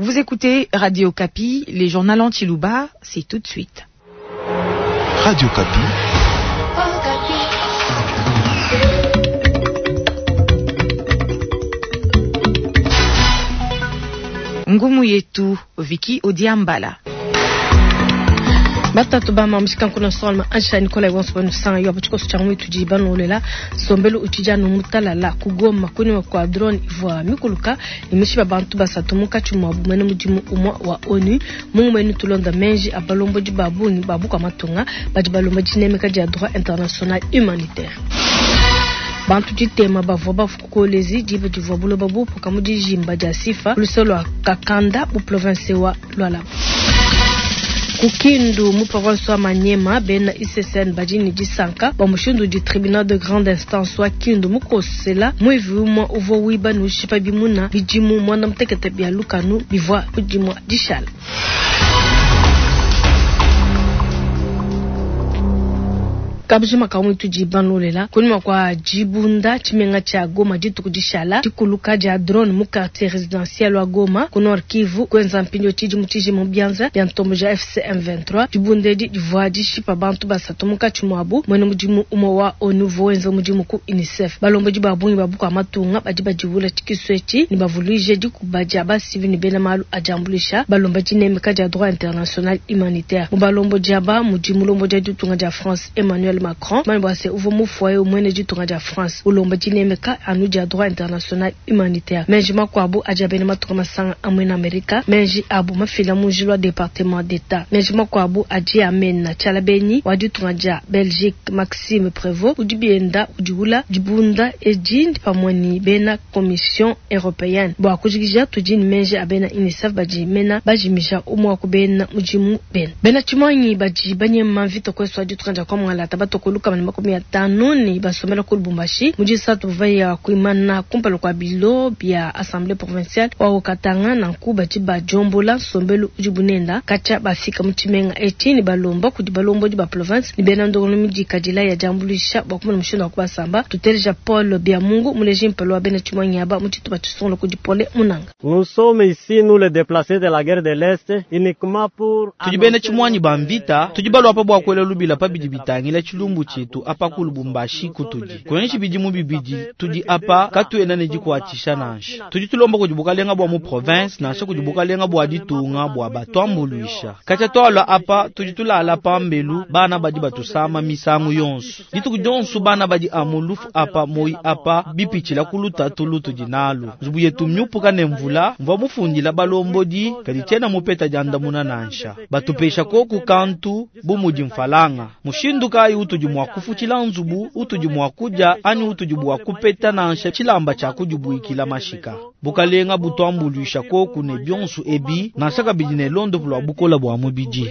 Vous écoutez Radio Okapi, les journaux en Tshiluba, c'est tout de suite. Radio Okapi. Ngumu yetu Vicky Odiambala. Batatu ba mamu shikankuna solma ansha Nicolas wonso banu sanga yo tshikoso tshia mwitu di banolela sombelu utshija no mutalala kugoma kunyima kwa drone ivua mikuluka imishiba bantu basatu munkatshi mua bumene mudimu umua wa ONU mungumenu tulonda menji abalombodi ba bungi ba bukua matunga badi balomba dinemeka dia droit international humanitaire. Bantu ditema bavua bafua ku Kolwezi diba divua buloba bupuka mu dijimba dia Sifa luse lua Kakanda mu province wa Lualaba. Ku Kindu mu province wa Maniema bena ICCN badi ne disanka bua mushindu udi tribunal de grande instance wa Kindu mukosela muivi umue uvua wiba ne ushipa bimuna bidimu muanda mutekete bia lukanu bivua ku dimua dishala. Kabujima ka muitu dibanolela kunyima kua dibunda tshimenga tshia Goma dituku dishala dikuluka dia drone mu quartier residentiel wa Goma ku Nord Kivu kuenza mpindieu tshidimu tshijima mu bianza bia ntombo ja FC M23. Dibunda edi divua dishipa bantu basatu munkatshi muabu muena mudimu umue wa ONU uvua wenza mudimu ku UNICEF. Balombodi ba bungi ba bukua matunga badi badiwula tshikisu etshi ne bavuluije dikuba dia basivili ne bena malu a diambuluisha balomba dinemeka dia droit international humanitaire. Mu balombodi aba mudi mulombodi wa ditunga dia France Emmanuel Macron mani bua se uvua mufua eu muena ditunga dia France ulomba dinemeka anu dia droit international humanitaire. Menji makuabu adi a bena matunga masanga a muena Amerika, menji abu mafila mu njila wa departement d'Etat. Menji makuabu adi a mena tshialabenyi wa ditunga dia Belgique Maxime Prevot udi bienda udiwula dibunda edi pamue ne bena Commission europeenne. Bua kujikija tudi ne menji a bena UNICEF badi mena bajimija umue wa ku bena mudimu bena. Bena tshimuangi badi banyema mvita kuesu wa ditunga dia Kwamualata batue ku 150 ne basombela ku Lubumbashi mu disatu bavua ya kuimana kumpala kua bilo bia Assemblee provinciale wa Haut-Katanga. Nanku badi badiombola nsombelu udibu nenda katshia bafika mu tshimenga etshi ne balomba kudi balombodi ba province ne bena ndongoluelu midikadila ya diambuluisha bua kumona mushindu wa kubasamba. Tuteleja Paul Biamungu muleji mpala wa bena tshimuangi aba mu tshitupa tshisungula kudi Pole Munanga. Nous sommes ici, nous les déplacés de la guerre de l'Est, uniquement pour Tudi bena tshimuanyi ba mvita, tudi balua pa bua kuela lubila pa bidi bitangila tshilumbu tshietu apa ku Lubumbashi kutudi. Kuenji bidimu bibidi tudi apa katuena ne dikuatshisha nansha. Tudi tulomba kudi bukalenga bua mu province nansha kudi bukalenga bua ditunga bua batuambuluisha. Katshia tualua apa tudi tulala pambelu, bana badi batusama misangu yonso. Dituku dionso bana badi amu lufu apa moyi apa bipitshila ku lutatu lutudi nalu. Nzubu yetu miupuka ne mvula, mvua mufundila balombodi kadi tshiena mupeta diandamuna nansha. Batupesha koku kantu bu mudi mfalanga. Mushindu kayi utudi mua kufutshila nzubu, utudi mua kudia anyi utudi bua kupeta nansha tshilamba tshia kudibuikila mashika. Bukalenga butuambuluisha koku ne bionso ebi nansha kabidi ne londopu lua bukola bua mubidi.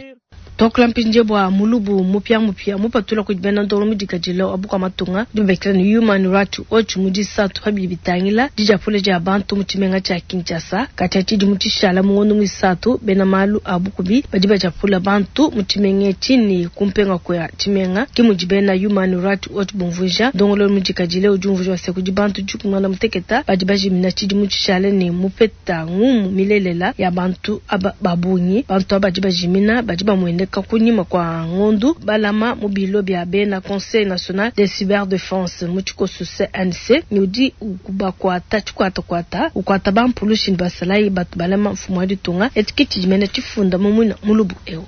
Tuakula mpindieu bua mulubu mupiamupia mupatula kudi bena ndongo mudikadile wa bukua matunga udi babikila ne Human Rights Watch mu disatu pa bidi bitangila didiapula dia bantu mu tshimenga tshia Kinshasa. Katshia tshidimu tshishala mu ngondo muisatu, bena malu a bukubi badi badiapula bantu mu tshimenga etshi ne kumpenga kua tshimenga. Ke mudi bena Human Rights Watch bumvuija. Ndongoluelu mudikadile udi umvuija se kudi bantu dikumi muanda muteketa badi bajimina tshidimu tshishale ne mupeta ngumu milelela ya bantu aba ba bungi. Bantu aba badi bajimina badi bamueneka kunyima kua ngondu balama mu bilo bia bena Conseil national de cyberdefense mu tshikoso CNC ne udi ukubakuata tshikuatakuata ukuata bampulushi ne basalayi batu balama mfumu wa ditunga. Etshi ke tshidi mena tshifunda mu muina mulubu eu.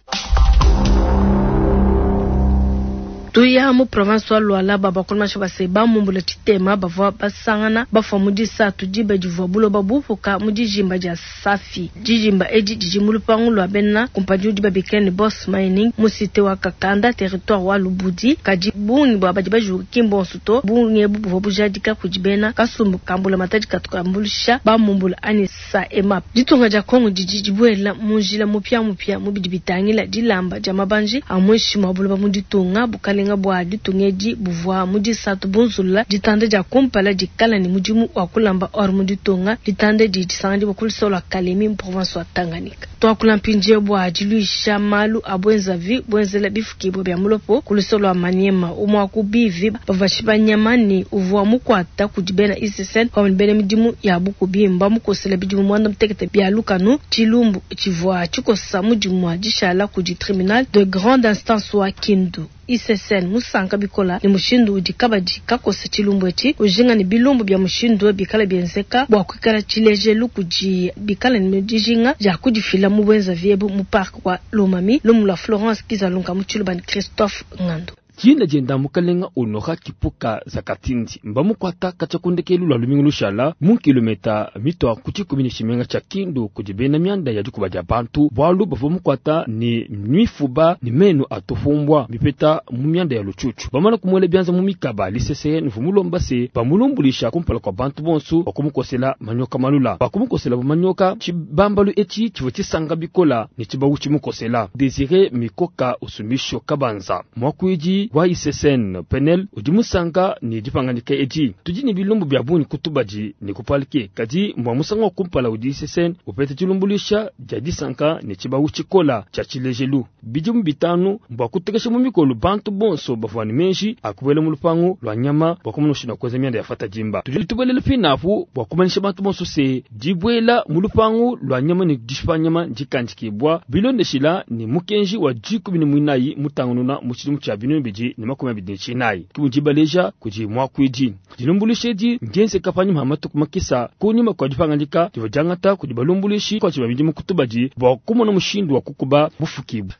Tuya mu province wa Lualaba bakolmasha base bamumbula tshitema bavua basangana bafua mu disatu diba divua buloba bupuka mu dijimba dia Safi. Dijimba edi didi mu lupangu lua bena kumpanyi udi babikila ne Boss Mining mu cité wa Kakanda territoire wa Lubudi. Kadi bungi bua badi bajuka ki mbonso to. Bungi ebu buvua bujadika kudi bena kasumbu ka mbulamatadi katu kambuluisha bamumbula anyi SAEMAP. Ditunga dia Congo didi dibuela mu njila mupiamupia mu bidi bitangila dilamba dia mabanji a muinshi mua buloba mu ditunga. Bukalenga bua ditunga edi buvua mu disatu bunzulula ditanda dia kumpala dikala ne mudimu wa kulamba or mu ditunga. Ditanda edi disanganyibua ku luseke lua Kalemi mu province wa Tanganyika. Tuakula mpindieu bua diluisha malu a buenzavi buenzela bifukibua bia mulopo ku luseke lua Maniema. Umue wa ku bivi bavua bashipa nyama ne uvua mukuata kudi bena ICCN pamue ne bena midimu ya bukubi mbamukosele bidimu muanda mutekete bia lukanu. Tshilumbu tshivua tshikosa mu dimua dishala kudi tribunal de grande instance wa Kindu. ICCN musanka bikola ne mushindu udi kabadi kakosa tshilumbu etshi, ujinga ne bilumbu bia mushindu eu bikala bienzeka bua kuikala tshilejelu kudi bikala ne dijinga dia kudifila mu buenzavi ebu mu parc wa Lomami. Lumu lua Florence Kizalunga mu Tshiluba ne Christophe Ngandu. Dina dienda mukalenga Honora Kipuka Zakatindi mbamukuata katshia ku ndekelu lua lumingu lushala mu kilometa mitua ku tshikumi ne tshimenga tshia Kindu kudi bena mianda ya dikuba dia bantu, bualu bavua bamukuata ne mifuba ne menu a tufumbua mipeta mu mianda ya lutshutshu. Bamana kumuela bianza mu mikaba, l'ICCN uvua mulomba se bamulumbuluisha kumpala kua bantu bonsu bua kumukosela manyoka malula. Pakumukosela bu manyoka, tshibambalu etshi tshivua tshisanka bikola ne tshibawu tshimukosela. Desire Mikoka Usumisho Kabanza, muakuidi wa ICCN Penel, udi musanka ne dipangadika edi. Tudi ne bilumbu bia bungi ku tubadi ne ku parquet, kadi mbua musangu wa kumpala udi ICCN upeta dilumbuluisha dia disanka ne tshibawu tshikola tshia tshilejelu. Bidimu bitanu mbua kutekesha mu mikolo bantu bonso bavua ne meji a kubuela mu lupangu lua nyama bua kumona mushindu wa kuenza mianda ya fatadimba. Tudi tubuelela pinapu bua kumanyisha bantu bonso se dibuela mu lupangu lua nyama ne dishipa nyama ndikandikibua bilondeshila ne mukenji wa dikumi ne muinayi mutangununa mu tshidimu tshia binunu bibidi ne makumi abidi ne tshinayi. Ke mudi baleja kudi muakuidi. Dilumbuluisha edi ndienzeka panyima pa matuku makesa kunyima kua dipangadika divua diangata kudi balumbuluishi ba midimu ku tubadi bua kumona mushindu wa kukuba bufukibue.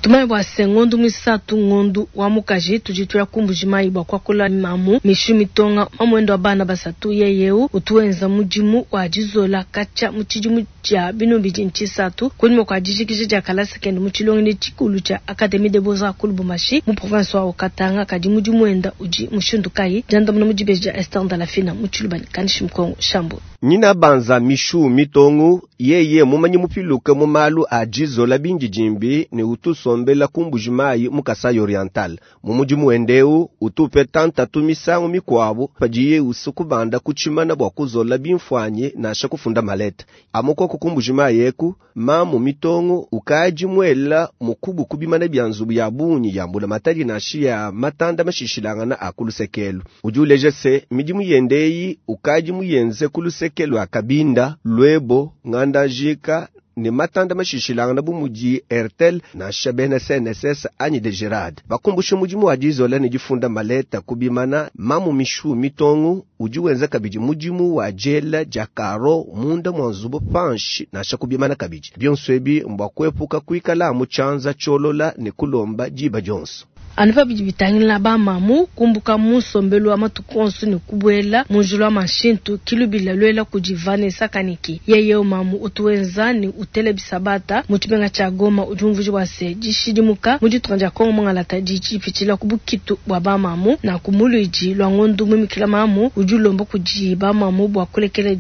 Tumanye bua se ngondu muisatu ngondu wa mukaji tudi tuya ku Mbuji-Mayi bua kuakula mamu Mishu Mitonga mamuende wa bana basatu. Yeye eu utu wenza mudimu wa dizola katshia mu tshidimu tshia binunu bibidi ne tshisatu kunyima kua dijikija dia kalasa kende mu tshilongelu tshikulu tshia Academie des Beaux-Arts ku Lubumbashi mu province wa Haut-Katanga. Kadi mudimu wenda udi mushindu kayi? Diandamuna mu dibeji dia Esther Ndalafina mu Tshiluba ne Kanishi Mukongo Shambu. Nyina banza Mishu Mitongu yeye mumanyi mupiluke mu malu a dizola bindidimbi ne utusombela ku Mbuji-Mayi mu Kasai Oriental. Mu mudimu wende eu utu upeta ntatu misangu mikuabu padiye usukubanda ku tshimana bua kuzola bimfuanyi nansha kufunda maleta. Amu koko ku Mbuji-Mayi eku, mamu Mitongu ukadi muela mukubu ku bimana bia nzubu ya bungi ya mbulamatadi nansha ya matanda mashishilangana a ku lusekelu. Udi uleja se midimu yende eyi ukadi muyenze ku lusekelu lua Kabinda, Luebo, Ngandajika ne matanda mashishilangana bu mudi Airtel nansha bena CNSS anyi Degerad. Bakumbusha mudimu wa dizola ne difunda maleta ku bimana, mamu Mishu Mitongu udi wenza kabidi mudimu wa diela dia karo munda mua nzubu panshi nansha ku bimana kabidi. Bionso ebi mbua kuepuka kuikala mu tshianza tshiolola ne kulomba diba dionso. Anu pa bidi bitangila bamamu kumbuka mu nsombelu wa matuku onso ne kubuela mu njila wa mashintu kilubila luela kudi Vanessa Kaniki. Yeye mamu utu wenza ne utela bisabata mu tshimenga tshia Goma udi umvuija bua se dishidimuka mu ditunga dia Kongo mungalata didi dipitshila ku bukitu bua bamamu na ku muluidi lua ngondu mumikila mamu udi ulomba kudi bamamu bua kulekela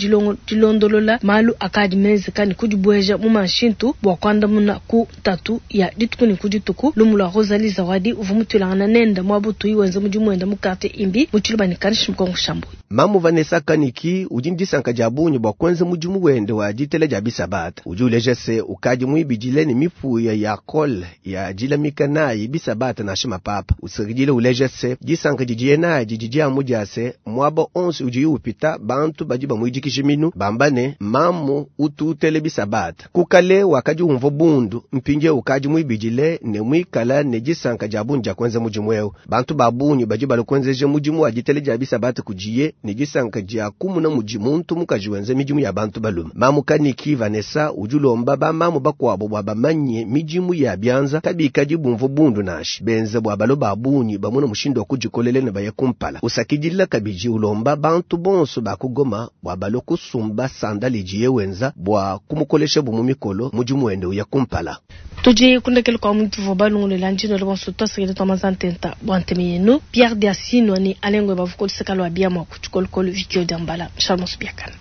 dilondolola malu akadi menzeka ne kudibueja mu mashintu bua kuandamuna ku ntatu ya dituku ne ku dituku. Lumu lua Rosalie Zawadi uvua mutuilangana nenda muabutu wenza mudimu wenda mu quartier Imbi mu Tshiluba ne Kanishi Mukongo Shambu. Mamu Vanessa Kaniki udi ne disanka dia bungi bua kuenza mudimu wende wa ditela dia bisabata. Udi uleja se ukadi muibidile ne mipuya ya kole ya dilamika nayi bisabata nansha mapapa. Usakidile uleja se disanka didiye nadi didi amu dia se muaba onso udiye upita bantu badi bamuidikija minu bamba ne mamu utu utele bisabata. Kukale wakadi umvua bundu mpindie ukadi muibidile ne muikala ne disanka dia bungi dia kuenza mudimu eu. Bantu ba bungi badi balukwenzeja mudimu wa ditela dia bisabata kudiye ne disanka dia kumuna mudi muntu mukaji wenza midimu ya bantu balume. Mamu Kaniki Vanessa udi ulomba bamamu bakuabo bua bamanye midimu ya bianza kabikadi bumvua bundu nansha benza bua balo ba bungi bamuna mushindu wa kudikolele ne baye kumpala. Usakidila kabidi ulomba bantu bonso ba ku Goma bua balo kusumba sandali idiye wenza bua kumukolesha bu mu mikolo mudimu wende uya kumpala. Tudi kundekela kwa muntu vua balungulela njino le bonso twasakile twa mazantenta bua nteme yenu Pierre Diasino ni Alengwe bavukoliseka lwa bia mwa kutshikolokolo Vikio Diambala Charles Biakana.